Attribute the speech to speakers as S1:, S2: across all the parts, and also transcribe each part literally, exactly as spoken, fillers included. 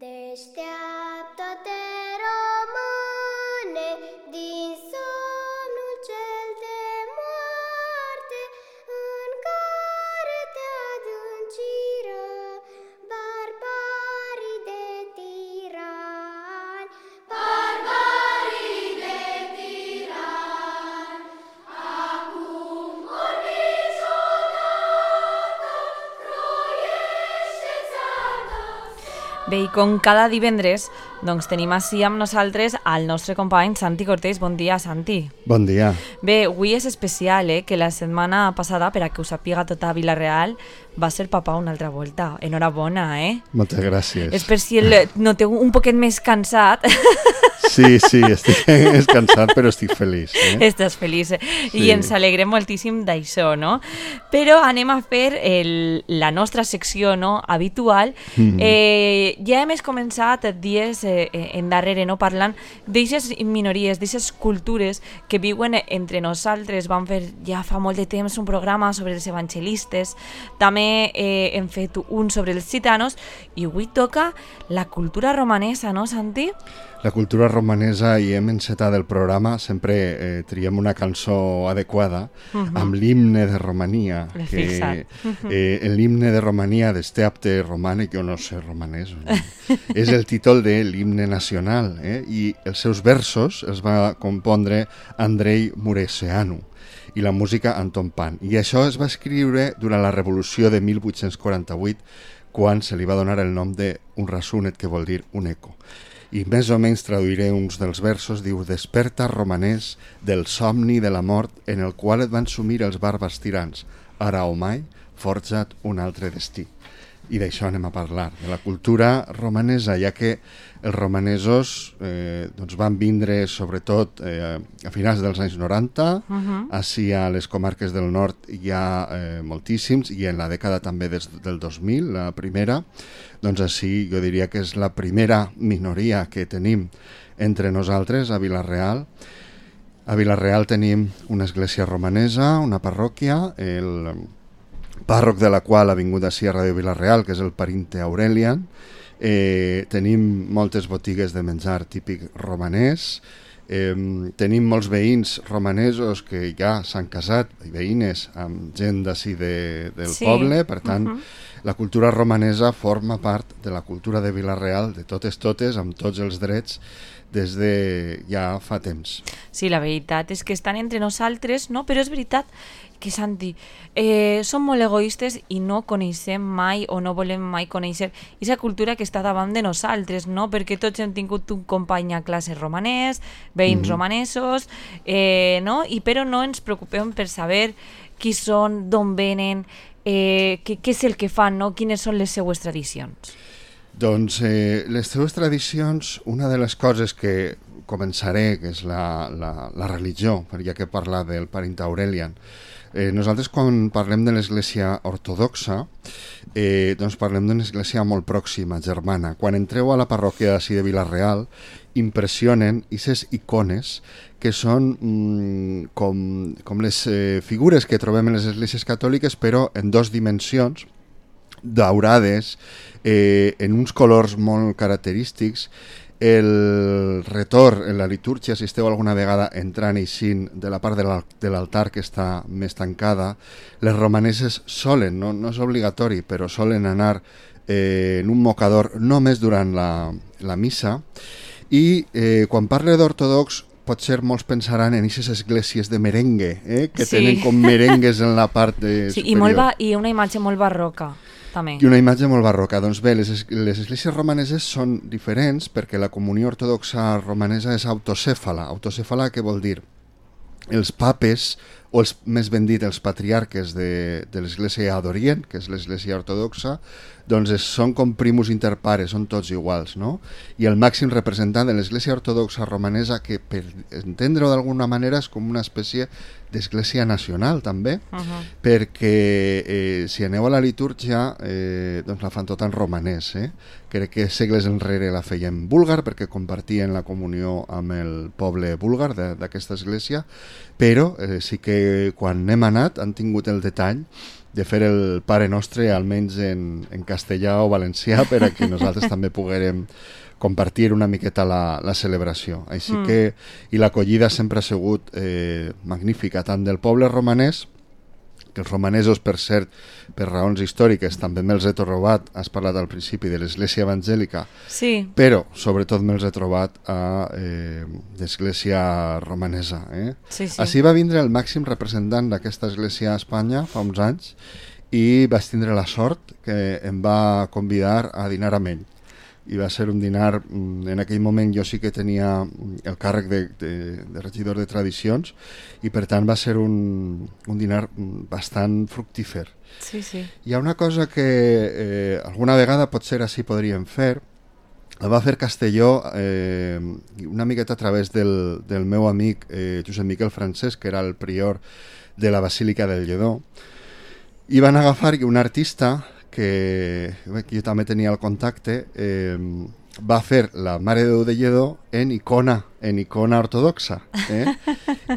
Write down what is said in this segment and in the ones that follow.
S1: Deșteaptă-te, române, din somnul cel de moarte, în care te adânciră barbarii de tirani. Barbarii de tirani, acum ori niciodată, croiește țară.
S2: Bé, i com cada divendres, doncs tenim així amb nosaltres al nostre company Santi Cortés. Bon dia, Santi.
S3: Bon dia.
S2: Bé, avui és especial, eh, que la setmana passada, per a que ho sàpiga tota Vila-real, va ser papà una altra volta. Enhorabona, eh?
S3: Moltes gràcies.
S2: És per si el noteu un poquet més cansat.
S3: Sí, sí, estic cansat, però estic feliç. Eh?
S2: Estàs feliç, eh?
S3: Sí.
S2: I ens alegrem moltíssim d'això, no? Però anem a fer el, la nostra secció, no?, habitual. Mm-hmm. Eh, ja hem començat dies eh, endarrere, no?, parlant d'eixes minories, d'eixes cultures que viuen entre nosaltres. Vam fer ja fa molt de temps un programa sobre els evangelistes, també eh, hem fet un sobre els gitanos, i avui toca la cultura romanesa, no, Santi?
S3: La cultura romanesa, i hem encetat el programa, sempre eh, triem una cançó adequada, uh-huh. amb l'himne de Romania, que eh, l'himne de Romania d'Esteapte Romane, que jo no sé romanès, no? És el títol de l'himne nacional, eh? I els seus versos els va compondre Andrei Mureșanu i la música Anton Pan. I això es va escriure durant la Revolució de mil vuit-cents quaranta-vuit, quan se li va donar el nom d'un rasunet, que vol dir un eco. I més o menys traduiré uns dels versos. Diu: desperta, romanès, del somni de la mort en el qual et van sumir els bàrbars tirans. Ara o mai, forja't un altre destí. I d'això anem a parlar, de la cultura romanesa, ja que els romanesos eh, doncs van vindre sobretot eh, a finals dels anys noranta, uh-huh. així a les comarques del nord hi ha eh, moltíssims, i en la dècada també des del dos mil, la primera, doncs així jo diria que és la primera minoria que tenim entre nosaltres a Vila-real. A Vila-real tenim una església romanesa, una parròquia, el pàrroc de la qual ha vingut així a Ràdio Vila-real, que és el Parinte Aurelian. Eh, tenim moltes botigues de menjar típic romanès, eh, tenim molts veïns romanesos que ja s'han casat, i veïnes, amb gent d'ací de, del sí. poble, per tant, uh-huh. la cultura romanesa forma part de la cultura de Vila-real, de totes totes, amb tots els drets, des de ja fa temps.
S2: Sí, la veritat és que estan entre nosaltres, no? Però és veritat que, Santi, eh, som molt egoistes i no coneixem mai o no volem mai conèixer aquesta cultura que està davant de nosaltres, no? Perquè tots hem tingut un company a classe romanès, veïns mm-hmm. romanesos, eh, no? I però no ens preocupem per saber qui són, d'on venen, eh, què, què és el que fan, no? Quines són les seues tradicions.
S3: Doncs eh, les teves tradicions, una de les coses que començaré, que és la, la, la religió, ja que parla del Parinte Aurelian. Eh, nosaltres quan parlem de l'església ortodoxa, eh, doncs parlem d'una església molt pròxima, germana. Quan entreu a la parròquia d'ací de Vila-real, impressionen aquestes icones que són mm, com, com les eh, figures que trobem en les esglésies catòliques, però en dos dimensions, daurades, eh, en uns colors molt característics. El retor en la litúrgia, si esteu alguna vegada entrant i eixint de la part de l'altar que està més tancada, les romaneses solen, no, no és obligatori, però solen anar eh, en un mocador només durant la, la missa. I eh, quan parle d'ortodox, potser molts pensaran en aquestes esglésies de merengue, eh, que sí. tenen com merengues en la part de
S2: sí,
S3: superior.
S2: I, molt ba- i una imatge molt barroca. També.
S3: I una imatge molt barroca. Doncs bé, les, les esglésies romaneses són diferents perquè la comunió ortodoxa romanesa és autocèfala. Autocèfala, què vol dir? Els papes, o els, més ben dit, els patriarques de, de l'església d'Orient, que és l'església ortodoxa, doncs és, són com primus inter pares, són tots iguals, no? I el màxim representant de l'església ortodoxa romanesa, que per entendre-ho d'alguna manera és com una espècie d'església nacional també, uh-huh. perquè eh, si aneu a la litúrgia eh, doncs la fan tot en romanès, eh? Crec que segles enrere la feien búlgar perquè compartien la comunió amb el poble búlgar d'aquesta església, però eh, sí que que quan hem anat han tingut el detall de fer el Pare Nostre almenys en, en castellà o valencià per a que nosaltres també poguérem compartir una miqueta la, la celebració. Així mm. que, i l'acollida sempre ha sigut eh, magnífica, tant del poble romanès, que els romanesos, per cert, per raons històriques, també me'ls he trobat, has parlat al principi de l'església evangèlica,
S2: sí.
S3: però sobretot me'ls he trobat a eh, l'església romanesa. Eh?
S2: Sí, sí.
S3: Així va vindre el màxim representant d'aquesta església a Espanya fa uns anys i vaig tindre la sort que em va convidar a dinar amb ell. I va ser un dinar, en aquell moment jo sí que tenia el càrrec de, de, de regidor de tradicions i per tant va ser un, un dinar bastant fructífer.
S2: Sí, sí.
S3: Hi ha una cosa que eh, alguna vegada potser així podríem fer, la va fer Castelló eh, una miqueta a través del, del meu amic eh, Josep Miquel Francesc, que era el prior de la Basílica del Lledó, i van agafar un artista que, que jo també tenia el contacte, eh, va fer la Mare de Déu de Lledó en icona, en icona ortodoxa. Eh?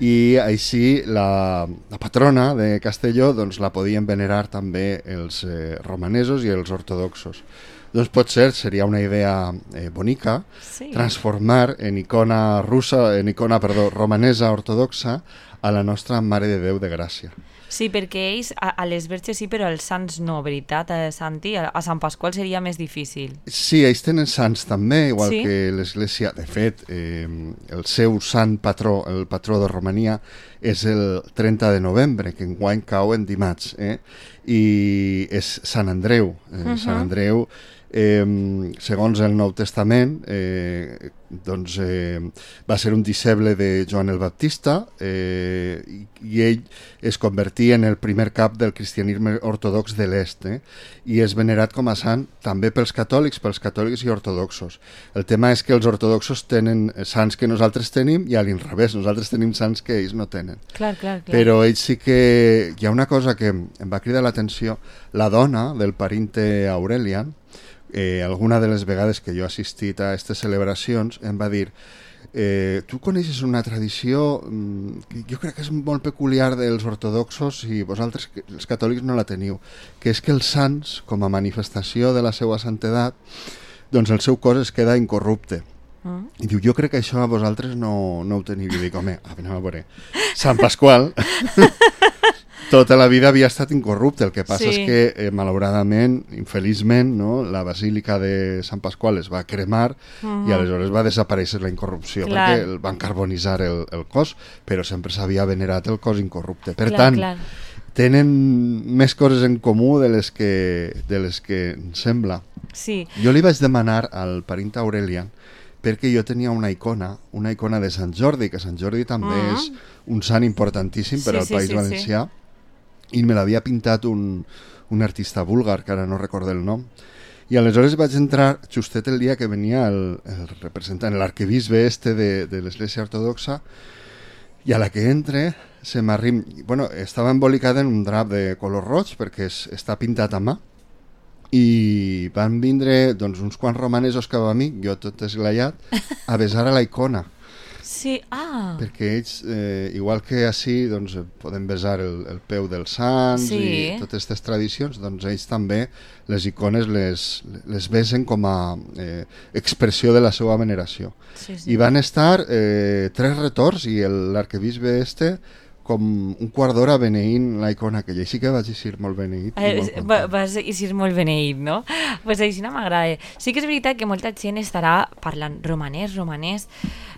S3: I així la, la patrona de Castelló doncs, la podien venerar també els eh, romanesos i els ortodoxos. Doncs potser seria una idea eh, bonica
S2: sí.
S3: transformar en icona russa, en icona, perdó, romanesa ortodoxa a la nostra Mare de Déu de Gràcia.
S2: Sí, perquè ells a, a les verges sí, però als sants no, veritat, a Santi? A, a Sant Pasqual seria més difícil.
S3: Sí, ells tenen sants també, igual
S2: sí?
S3: que l'Església. De fet, eh, el seu sant patró, el patró de Romania, és el trenta de novembre, que enguany cau en dimarts, eh? I és Sant Andreu. Eh, uh -huh. Sant Andreu, eh, segons el Nou Testament, eh, doncs, eh, va ser un disciple de Joan el Baptista eh, i, i ell es convertí en el primer cap del cristianisme ortodox de l'est, eh? I és venerat com a sant també pels catòlics, pels catòlics i ortodoxos. El tema és que els ortodoxos tenen sants que nosaltres tenim i a l'inrevés, nosaltres tenim sants que ells no tenen.
S2: Clar, clar, clar.
S3: Però ells sí que... Hi ha una cosa que em va cridar l'atenció. La dona del parinte Aurelian, Eh, alguna de les vegades que jo he assistit a aquestes celebracions, em va dir eh, tu coneixes una tradició mm, que jo crec que és molt peculiar dels ortodoxos i vosaltres, els catòlics, no la teniu, que és que els sants, com a manifestació de la seva santedat, doncs el seu cos es queda incorrupte. Mm. I diu, jo crec que això a vosaltres no, no ho teniu. I dic, home, anem a veure, Sant Pasqual tota la vida havia estat incorrupte, el que passa sí. és que eh, malauradament, infeliçment, no, la Basílica de Sant Pasqual es va cremar uh-huh. i aleshores va desaparèixer la incorrupció. Clar. Perquè el van carbonitzar el, el cos, però sempre s'havia venerat el cos incorrupte. Per clar, tant, clar. Tenen més coses en comú de les que, de les que em sembla.
S2: Sí.
S3: Jo li vaig demanar al parint Aurelian perquè jo tenia una icona, una icona de Sant Jordi, que Sant Jordi també uh-huh. és un sant importantíssim per sí, al sí, País sí, Valencià, sí. I me l'havia pintat un, un artista búlgar, que ara no recordo el nom, i aleshores vaig entrar justet el dia que venia el, el representant, l'arquebisbe este de, de l'Església Ortodoxa, i a la que entre se m'arrim... Bueno, estava embolicada en un drap de color roig perquè es, està pintat a mà, i van vindre doncs, uns quants romanesos cap a mi, jo tot esglaiat, a besar a la icona.
S2: Sí, ah.
S3: Perquè ells, eh, igual que així, doncs, poden besar el, el peu dels sants sí. i totes aquestes tradicions, doncs ells també les icones les, les besen com a eh, expressió de la seva veneració. Sí, sí. I van estar eh, tres retorns i l'arquebisbe este com un quart d'hora beneint la icona, que jo sí que vaig eixir molt beneït.
S2: Eh, molt vas eixir molt beneït, no? Doncs pues així no m'agrada. Sí que és veritat que molta gent estarà parlant romanès, romanès.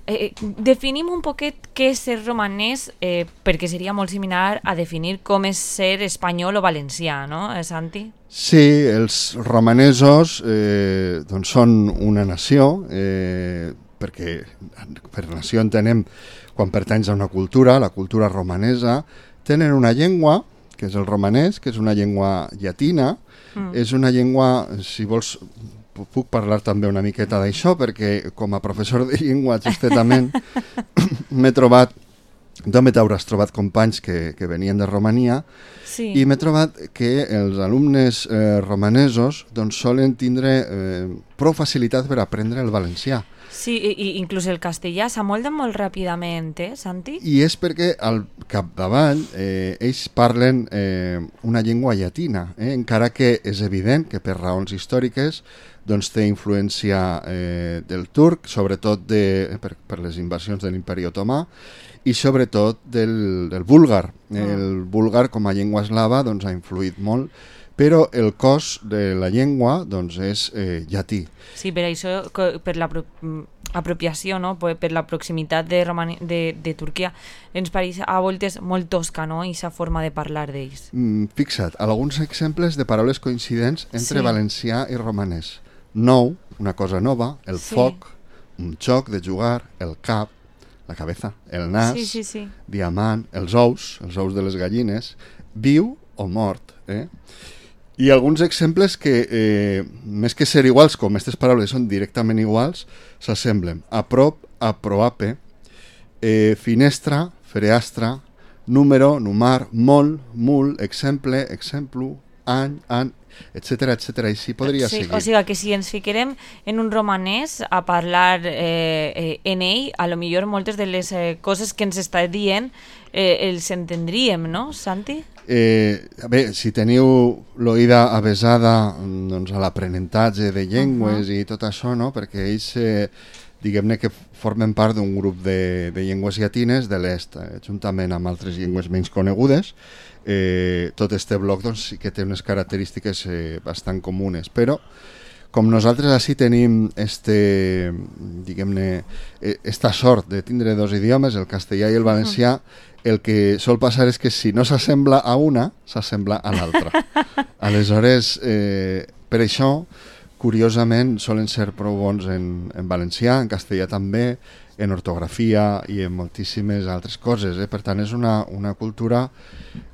S2: Eh, definim un poquet què és ser romanès, eh, perquè seria molt similar a definir com és ser espanyol o valencià, no, eh, Santi?
S3: Sí, els romanesos eh, doncs són una nació, eh, perquè per nació entenem quan pertanys a una cultura, la cultura romanesa, tenen una llengua, que és el romanès, que és una llengua llatina, mm. és una llengua, si vols, puc parlar també una miqueta d'això, perquè com a professor de llengua, justetament, m'he trobat, també t'hauràs trobat companys que, que venien de Romania, sí. i m'he trobat que els alumnes eh, romanesos doncs, solen tindre... Eh, prou facilitat per aprendre el valencià.
S2: Sí, i, i inclús el castellà s'amolda molt ràpidament, eh, Santi?
S3: I és perquè al capdavall eh, ells parlen eh, una llengua llatina, eh, encara que és evident que per raons històriques doncs té influència eh, del turc, sobretot de, per, per les invasions de l'imperi otomà, i sobretot del, del búlgar. El búlgar com a llengua eslava doncs, ha influït molt, però el cos de la llengua doncs, és eh, llatí.
S2: Sí, per això, per la apropiació, no? Per la proximitat de, Romani de, de Turquia, ens pareix a voltes molt tosca, no? Aquesta forma de parlar d'ells.
S3: Mm, fixa't, alguns exemples de paraules coincidents entre
S2: sí.
S3: valencià i romanès. Nou, una cosa nova, el
S2: sí.
S3: foc, un joc de jugar, el cap, la cabeza, el nas,
S2: sí, sí, sí.
S3: diamant, els ous, els ous de les gallines, viu o mort, eh? I alguns exemples que, eh, més que ser iguals, com aquestes paraules són directament iguals, s'assemblen. A prop, a proape, eh, finestra, freastra, número, numar, molt, mul, exemple, exemplu, any, an, etcètera, etcètera. I sí podria
S2: sí,
S3: seguir.
S2: O sigui que si ens fiquem en un romanès a parlar eh, eh, en ell, a lo millor moltes de les eh, coses que ens està dient eh, els entendríem, no, Santi?
S3: Eh, bé, si teniu l'oïda avesada doncs, a l'aprenentatge de llengües uh -huh. i tot això, no? Perquè ells, eh, diguem-ne que formen part d'un grup de, de llengües llatines de l'est, eh, juntament amb altres llengües menys conegudes. Eh, tot este bloc doncs, sí que té unes característiques eh, bastant comunes, però com nosaltres així tenim este, diguem-ne, esta sort de tindre dos idiomes, el castellà i el valencià, el que sol passar és que si no s'assembla a una, s'assembla a l'altra. Aleshores, eh, per això, curiosament, solen ser prou bons en, en valencià, en castellà també, en ortografia i en moltíssimes altres coses. Eh? Per tant, és una, una cultura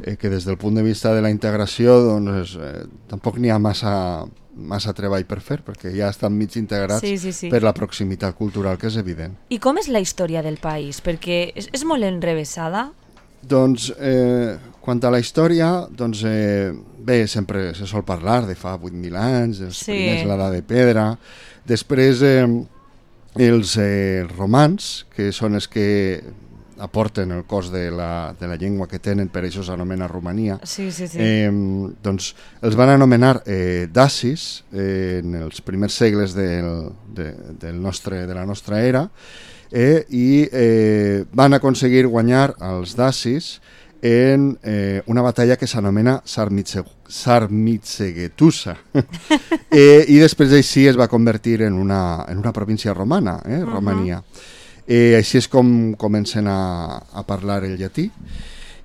S3: eh, que des del punt de vista de la integració doncs, eh, tampoc n'hi ha massa, massa treball per fer, perquè ja estan mig integrats
S2: sí, sí, sí.
S3: per la proximitat cultural, que és evident.
S2: I com és la història del país? Perquè és, és molt enrevessada?
S3: Doncs, eh, quant a la història, doncs, eh, bé, sempre se sol parlar de fa vuit mil anys, dels
S2: sí.
S3: primers l'edat de pedra, després eh, els eh, romans, que són els que aporten el cos de la, de la llengua que tenen, per això s'anomena Romania,
S2: sí, sí, sí.
S3: Eh, doncs els van anomenar eh, dacis eh, en els primers segles del, de, del nostre, de la nostra era, eh, i eh, van aconseguir guanyar els dacis en eh, una batalla que s'anomena Sarmizegetusa. eh, I després així es va convertir en una, en una província romana, eh, Romania. Uh -huh. Eh, així és com comencen a, a parlar el llatí.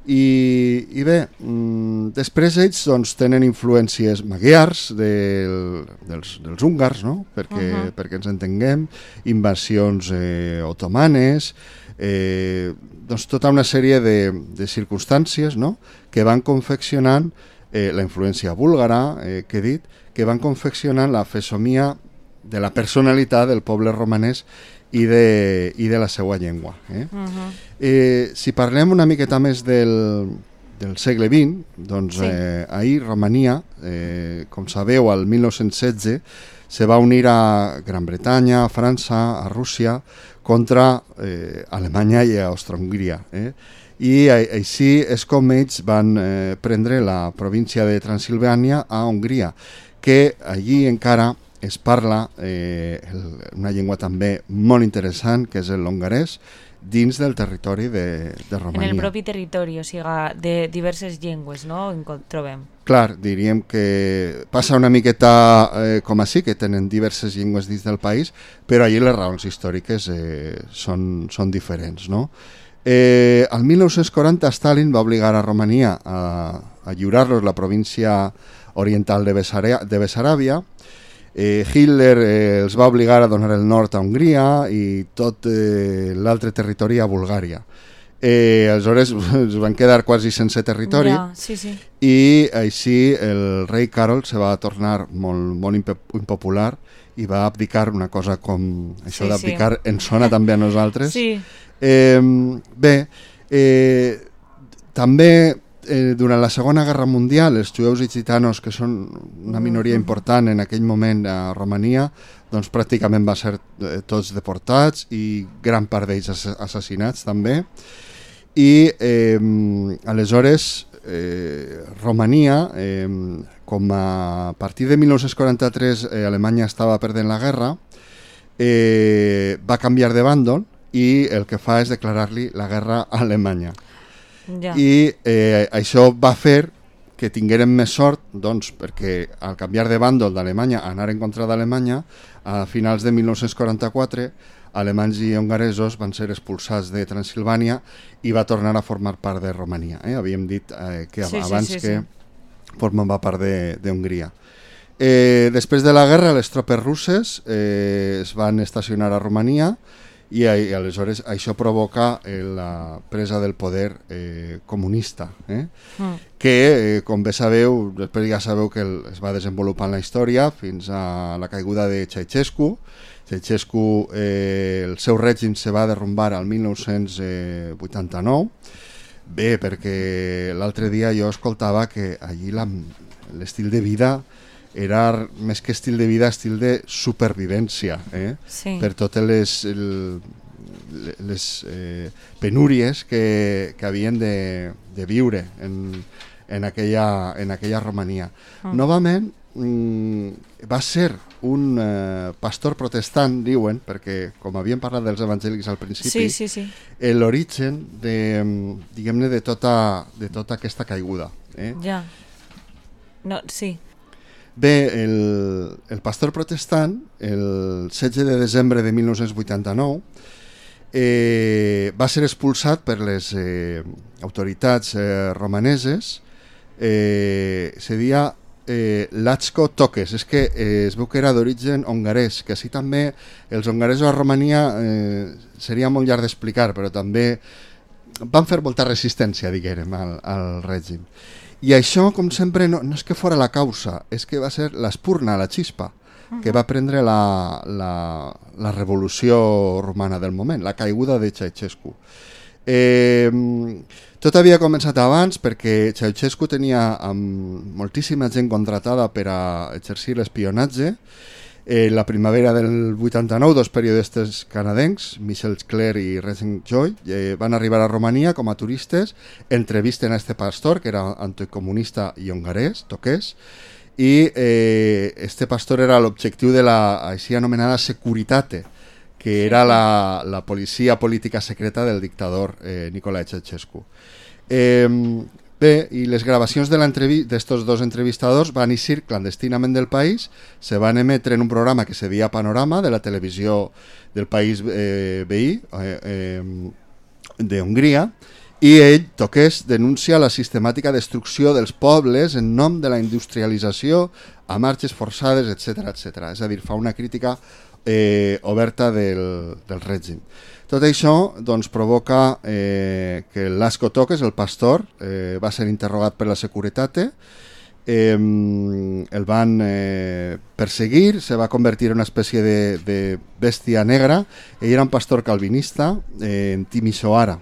S3: I, i bé, mm, després ells doncs, tenen influències magiars del, dels, dels húngars, no? perquè, uh -huh. perquè ens entenguem, invasions eh, otomanes, eh, doncs tota una sèrie de, de circumstàncies, no? Que van confeccionant eh, la influència búlgara, eh, que he dit, que van confeccionant la fesomia de la personalitat del poble romanès i de, i de la seva llengua. Eh? Uh-huh. eh, si parlem una miqueta més del, del segle vint, doncs sí. eh, ahir Romania, eh, com sabeu, al mil nou-cents setze, se va unir a Gran Bretanya, a França, a Rússia, contra eh, Alemanya i Austro-Hongria. Eh? I així és com ells van eh, prendre la província de Transilvània a Hongria, que allí encara es parla eh, el, una llengua també molt interessant, que és el hongarès, dins del territori de, de Romania.
S2: En el propi territori, o sigui, de diverses llengües, no?, en trobem.
S3: Clar, diríem que passa una miqueta eh, com així, que tenen diverses llengües dins del país, però allí les raons històriques eh, són, són diferents, no? Eh, al mil nou-cents quaranta Stalin va obligar a Romania a, a lliurar-los la província oriental de, Besarà, de Bessaràbia. Eh, Hitler eh, els va obligar a donar el nord a Hongria i tot eh, l'altre territori a Bulgària. Eh, aleshores es van quedar quasi sense territori,
S2: ja, sí, sí.
S3: I així el rei Carol se va tornar molt, molt impopular i va abdicar, una cosa com això sí, d'abdicar sí. ens sona també a nosaltres.
S2: Sí.
S3: Eh, bé, eh, també eh, durant la Segona Guerra Mundial, els jueus i gitanos, que són una minoria important en aquell moment a Romania, doncs pràcticament van ser eh, tots deportats i gran part d'ells assassinats també. I eh, aleshores eh, Romania, eh, com a partir de mil nou-cents quaranta-tres eh, Alemanya estava perdent la guerra, eh, va canviar de bàndol i el que fa és declarar-li la guerra a Alemanya.
S2: Ja.
S3: I eh, això va fer que tinguérem més sort, doncs, perquè al canviar de bàndol d'Alemanya a anar en contra d'Alemanya, a finals de mil nou-cents quaranta-quatre, alemanys i hongaresos van ser expulsats de Transilvània i va tornar a formar part de Romania. Eh? Havíem dit eh, que
S2: Sí, sí,
S3: abans
S2: sí,
S3: que
S2: sí.
S3: formava part de, de Hongria. Eh, després de la guerra, les tropes russes eh, es van estacionar a Romania i, i aleshores això provoca eh, la presa del poder eh, comunista, eh?
S2: Mm.
S3: que, eh, com bé sabeu, després ja sabeu que el, es va desenvolupant la història fins a la caiguda de Ceausescu. Ceausescu, eh, el seu règim se va derrumbar al mil nou-cents vuitanta-nou. Bé, perquè l'altre dia jo escoltava que allí la, l'estil de vida era més que estil de vida, estil de supervivència, eh?
S2: Sí.
S3: Per totes les, el, les eh, penúries que, que havien de, de viure en, en, aquella, en aquella Romania. Mm. Novament, mm, va ser un eh, pastor protestant, diuen, perquè com havíem parlat dels evangèlics al principi,
S2: Sí, sí, sí.
S3: l'origen de, diguem-ne, de tota, de tota aquesta caiguda. Eh?
S2: Ja. No, sí.
S3: Bé, el, el pastor protestant, el setze de desembre de mil nou-cents vuitanta-nou, eh, va ser expulsat per les eh, autoritats eh, romaneses. Eh, se deia eh, Lacko Tokes, és que eh, es veu que era d'origen hongarès, que així també els hongaresos a Romania eh, seria molt llarg d'explicar, però també van fer molta resistència, diguem, al, al règim. I això, com sempre, no, no és que fora la causa, és que va ser l'espurna, la xispa, que va prendre la, la, la revolució romana del moment, la caiguda de Ceausescu. Eh, tot havia començat abans perquè Ceausescu tenia um, moltíssima gent contratada per a exercir l'espionatge. Eh, la primavera del vuitanta-nou, dos periodistes canadencs, Michel Clerc i Regent Joy, eh, van arribar a Romania com a turistes, entrevisten a este pastor, que era anticomunista i hongarès, Tokes, i eh, este pastor era l'objectiu de la així anomenada Securitate, que era la, la policia política secreta del dictador eh, Nicolae Ceausescu. Eh, Bé, i les gravacions d'estos dos entrevistadors van eixir clandestinament del país, se van emetre en un programa que se deia Panorama, de la televisió del país eh, veí, eh, eh, d'Hongria, i ell, Tokes, denuncia la sistemàtica destrucció dels pobles en nom de la industrialització a marxes forçades, etcètera, etcètera. És a dir, fa una crítica eh, oberta del, del règim. Tot això doncs, provoca eh, que Lacko Tokes, el pastor, eh, va ser interrogat per la Securitate, eh, el van eh, perseguir, se va convertir en una espècie de, de bèstia negra. Ell era un pastor calvinista eh, en Timisoara.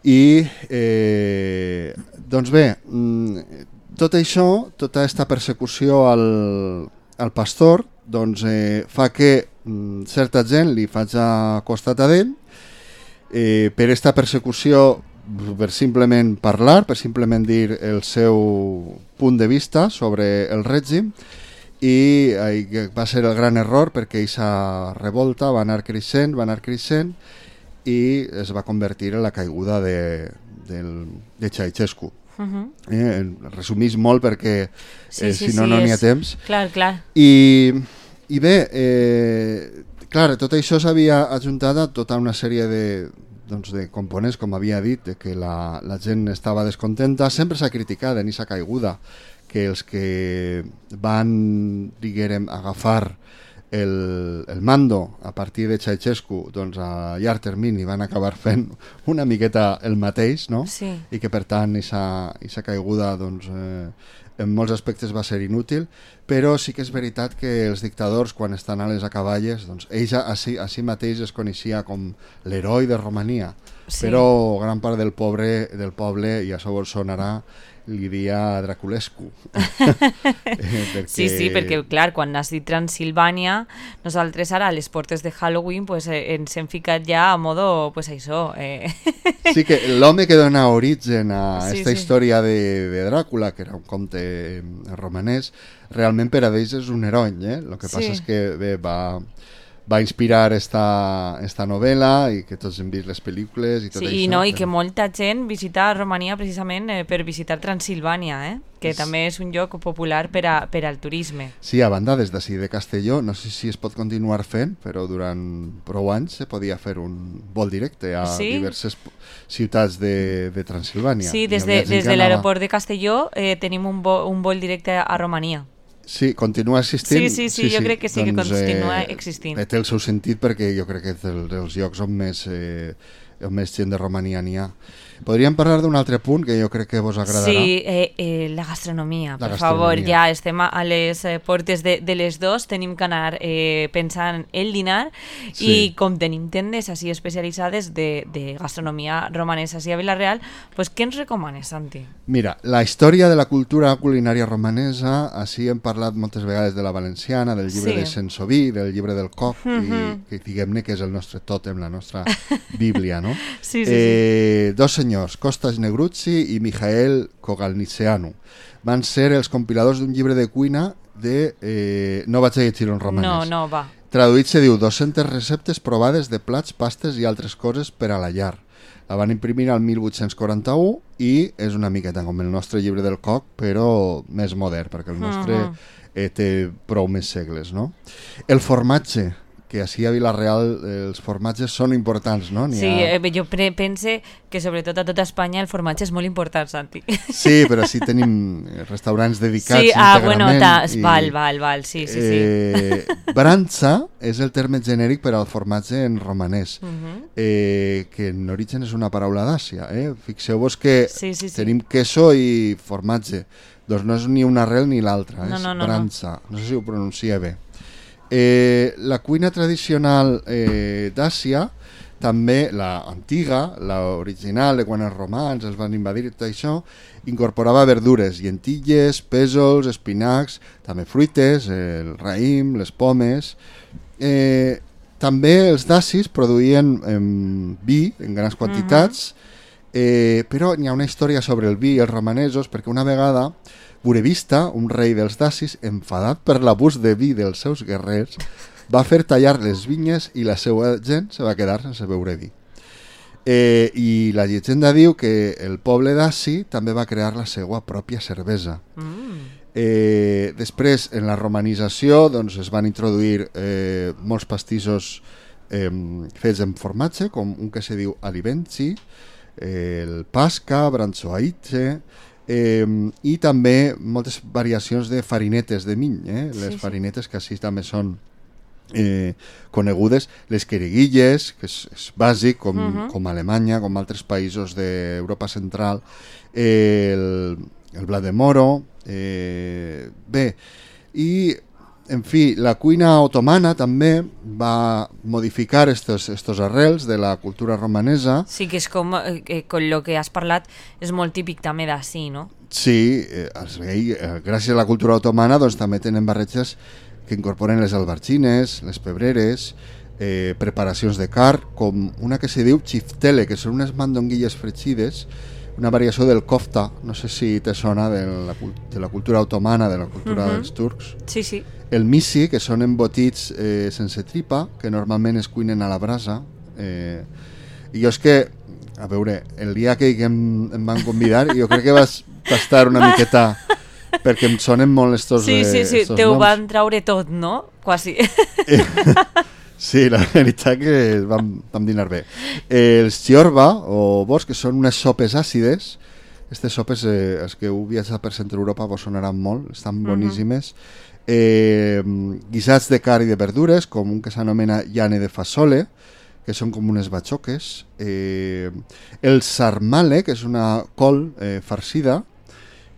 S3: I, eh, doncs bé, tot això, tota aquesta persecució al, al pastor, doncs eh, fa que mm, certa gent li faci costat a ell eh, per aquesta persecució, per simplement parlar, per simplement dir el seu punt de vista sobre el règim, i eh, va ser el gran error perquè aquesta revolta va anar creixent, va anar creixent i es va convertir en la caiguda de, del, de Ceausescu. Uh-huh. eh, resumís molt perquè
S2: sí,
S3: eh,
S2: sí,
S3: si no
S2: sí,
S3: no n'hi ha
S2: és...
S3: temps.
S2: Clar, clar.
S3: I, i bé, eh, clar, tot això s'havia ajuntat a tota una sèrie de, doncs, de components, com havia dit, de que la, la gent estava descontenta. Sempre s'ha criticat en aquesta caiguda que els que van, diguem, agafar el, el Mando, a partir de Ceausescu, doncs a llarg termini van acabar fent una miqueta el mateix, no?
S2: Sí.
S3: I que per tant aquesta caiguda doncs, eh, en molts aspectes va ser inútil, però sí que és veritat que els dictadors, quan estan a les acaballes, doncs ell a si, a si mateix es coneixia com l'heroi de Romania,
S2: Sí.
S3: però gran part del poble, del poble, i això vos sonarà, li dia Draculescu. eh, perquè...
S2: Sí, sí, perquè clar, quan has dit Transilvània, nosaltres ara a les portes de Halloween pues, eh, ens hem ficat ja a modo, pues això... Eh.
S3: Sí, que l'home que dona origen a
S2: Sí,
S3: esta
S2: sí.
S3: història de, de Dràcula, que era un conte eh, romanès, realment per a ells és un heroi, eh? El que
S2: Sí.
S3: passa és que bé, va... va inspirar esta, esta novel·la i que tots hem vist les pel·lícules i tot
S2: Sí,
S3: això.
S2: i, no, i
S3: però-
S2: que molta gent visita Romania precisament eh, per visitar Transilvània, eh? que també és un lloc popular per, a, per al turisme.
S3: Sí, a banda, des d'ací de Castelló, no sé si es pot continuar fent, però durant prou anys se podia fer un vol directe a
S2: Sí?
S3: diverses p- ciutats de, de Transilvània.
S2: Sí,
S3: I
S2: des,
S3: havia
S2: de,
S3: gent
S2: des
S3: que
S2: de
S3: anava-
S2: l'aeroport de Castelló eh, tenim un, vo, un vol directe a Romania.
S3: Sí, continua existint.
S2: Sí, sí, sí, jo crec que sí que continua existint.
S3: Eh, té el seu sentit perquè jo crec que és del- dels llocs on més, eh, on més gent de Romania n'hi ha. Podríem parlar d'un altre punt que jo crec que vos agradarà.
S2: Sí, eh, eh, la gastronomia,
S3: La
S2: per favor,
S3: gastronomia.
S2: ja estem a a les eh, portes de, de les dos, tenim que anar eh, pensant el dinar
S3: Sí.
S2: i com tenim tendes així especialitzades de, de gastronomia romanesa així a Vila-real, pues, què ens recomanes, Santi?
S3: Mira, la història de la cultura culinària romanesa, així hem parlat moltes vegades de la valenciana, del llibre
S2: Sí.
S3: de Sensoví, del llibre del Coc,
S2: Mhm.
S3: i que diguem-ne que és el nostre tòtem, la nostra bíblia, no?
S2: Sí, sí,
S3: eh, Dos senyors, Costas Negruzzi i Mijael Kogalnitzeanu, van ser els compiladors d'un llibre de cuina de... Eh, no vaig a llegir-ho en romanès.
S2: No, no, va.
S3: Traduït se diu dues-centes receptes provades de plats, pastes i altres coses per a la llar. La van imprimir al mil vuit-cents quaranta-u i és una miqueta com el nostre llibre del Coc, però més modern, perquè el nostre
S2: Mhm.
S3: eh, té prou més segles, no? El formatge, que així a Vila-real eh, els formatges són importants, no? N'hi
S2: Sí,
S3: ha...
S2: eh, jo pre pense que sobretot a tota Espanya el formatge és molt important, Santi.
S3: Sí, però sí tenim restaurants dedicats
S2: Sí, ah,
S3: íntegrament.
S2: bueno, ta,
S3: i-
S2: val, val, val, sí, sí, sí.
S3: Eh, Branza és el terme genèric per al formatge en romanès,
S2: Mhm.
S3: eh, que en origen és una paraula d'Àsia. Eh? Fixeu-vos que
S2: Sí, sí, sí.
S3: tenim queso i formatge. Doncs no és ni una arrel ni l'altra,
S2: No,
S3: és
S2: no, no, no.
S3: branza. No sé si ho pronuncia bé. Eh, la cuina tradicional eh, d'Àsia, també la antiga, la original de quan els romans els van invadir i tot això, incorporava verdures, llentilles, pèsols, espinacs, també fruites, el raïm, les pomes. Eh, també els dacis produïen eh, vi en grans quantitats, eh, però n'hi ha una història sobre el vi i els romanesos, perquè una vegada Burevista, un rei dels dacis, enfadat per l'abús de vi dels seus guerrers, va fer tallar les vinyes i la seva gent se va quedar sense beure vi. Eh, I la llegenda diu que el poble daci també va crear la seva pròpia cervesa.
S2: Mm.
S3: Eh, després, en la romanització, doncs, es van introduir eh, molts pastissos eh, fets en formatge, com un que se diu alibenci, eh, el pasca, branzoaitze, eh, i també moltes variacions de farinetes de miny, eh?
S2: Sí,
S3: les
S2: sí.
S3: farinetes que així també són eh, conegudes, les queriguilles, que és, és bàsic, com,
S2: Mhm.
S3: com Alemanya, com altres països d'Europa Central, eh, el, el blat de moro, eh, bé, i en fi, la cuina otomana també va modificar estos, estos arrels de la cultura romanesa.
S2: Sí, que és com, eh, que, con lo que has parlat, és molt típic també d'ací, no?
S3: Sí, eh, es veia, eh, gràcies a la cultura otomana doncs, també tenen barreges que incorporen les albargines, les pebreres, eh, preparacions de carn, com una que se diu chiftele, que són unes mandonguilles fregides, una variació del kofta, no sé si te sona de la, cul- de la cultura otomana, de la cultura
S2: Mhm.
S3: dels turcs.
S2: Sí, sí.
S3: El misi, que són embotits eh, sense tripa, que normalment es cuinen a la brasa. Eh, I jo és que, a veure, el dia que em, em van convidar, jo crec que vas, va estar una miqueta, perquè em sonen molt estos,
S2: Sí, sí,
S3: eh,
S2: sí,
S3: estos
S2: te ho
S3: noms.
S2: van traure tot, no? Quasi.
S3: Sí, la veritat que vam, vam dinar bé. Eh, els chiorba, o bos, que són unes sopes àcides. Aquestes sopes, eh, els que heu viatjat per centre Europa vos sonaran molt, estan
S2: Mhm.
S3: boníssimes. eh, guisats de carn i de verdures, com un que s'anomena llane de fasole, que són com unes batxoques, eh, el sarmale, que és una col eh, farcida,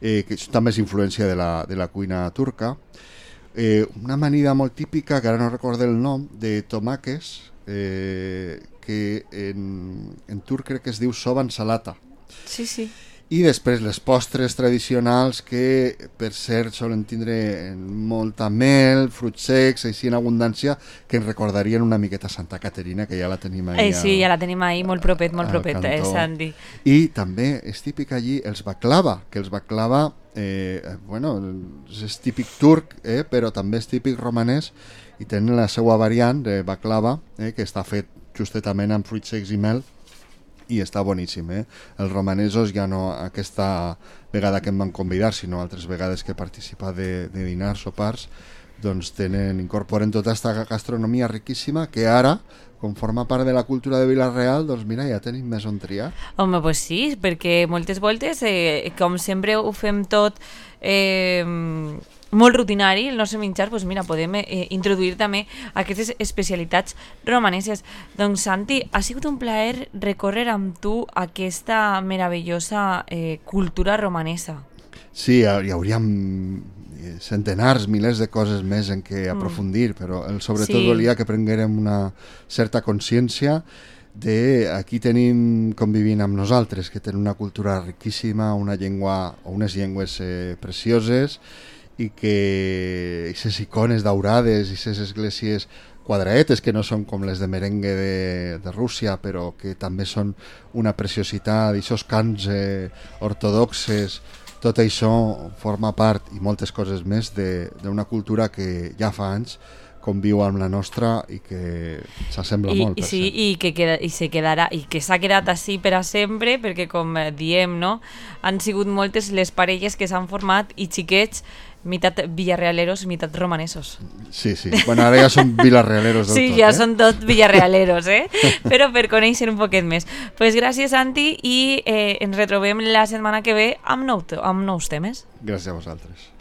S3: eh, que també és influència de la, de la cuina turca, eh, una amanida molt típica, que ara no recordo el nom, de tomàquets, eh, que en, en turc crec que es diu soban salata.
S2: Sí, sí.
S3: I després les postres tradicionals que per cert solen tindre molta mel, fruits secs, així en abundància, que ens recordarien una miqueta Santa Caterina, que ja la tenim ahí.
S2: Eh, sí, al, ja la tenim ahí, molt propet, molt propet, eh, Santi.
S3: I també és típic allí els baklava, que els baklava, eh, bueno, és típic turc, eh, però també és típic romanès, i tenen la seva variant de baklava, eh, que està fet justetament amb fruits secs i mel, i està boníssim, eh? Els romanesos ja no aquesta vegada que em van convidar, sinó altres vegades que he participat de, de dinars, sopars, doncs tenen, incorporen tota aquesta gastronomia riquíssima que ara, com forma part de la cultura de Vila-real, doncs mira, ja tenim més on triar.
S2: Home, pues sí, perquè moltes voltes, eh, com sempre ho fem tot eh, molt rutinari, el nostre menjar, doncs mira, podem eh, introduir també aquestes especialitats romaneses. Doncs Santi, ha sigut un plaer recórrer amb tu aquesta meravellosa eh, cultura romanesa.
S3: Sí, hi hauríem centenars, milers de coses més en què aprofundir, mm. però el, sobretot sí. volia que prenguérem una certa consciència de aquí tenim convivint amb nosaltres, que tenen una cultura riquíssima, una llengua o unes llengües eh, precioses, i que aquestes icones daurades i aquestes esglésies quadraetes que no són com les de merengue de, de Rússia, però que també són una preciositat, aquests cants eh, ortodoxes, tot això forma part, i moltes coses més, d'una cultura que ja fa anys conviu amb la nostra i que s'assembla
S2: I,
S3: molt.
S2: I, sí, i que, queda, i se quedarà, i que s'ha quedat així per a sempre, perquè com diem, no? Han sigut moltes les parelles que s'han format i xiquets mitat villarrealeros, mitat romanesos.
S3: Sí, sí. Bueno, ara ja són villarrealeros del
S2: sí,
S3: tot.
S2: Sí, ja
S3: eh?
S2: són tot villarrealeros, eh? Però per conèixer un poquet més. Pues gràcies, Santi, i eh, ens retrobem la setmana que ve amb, nou, amb nous temes.
S3: Gràcies a vosaltres.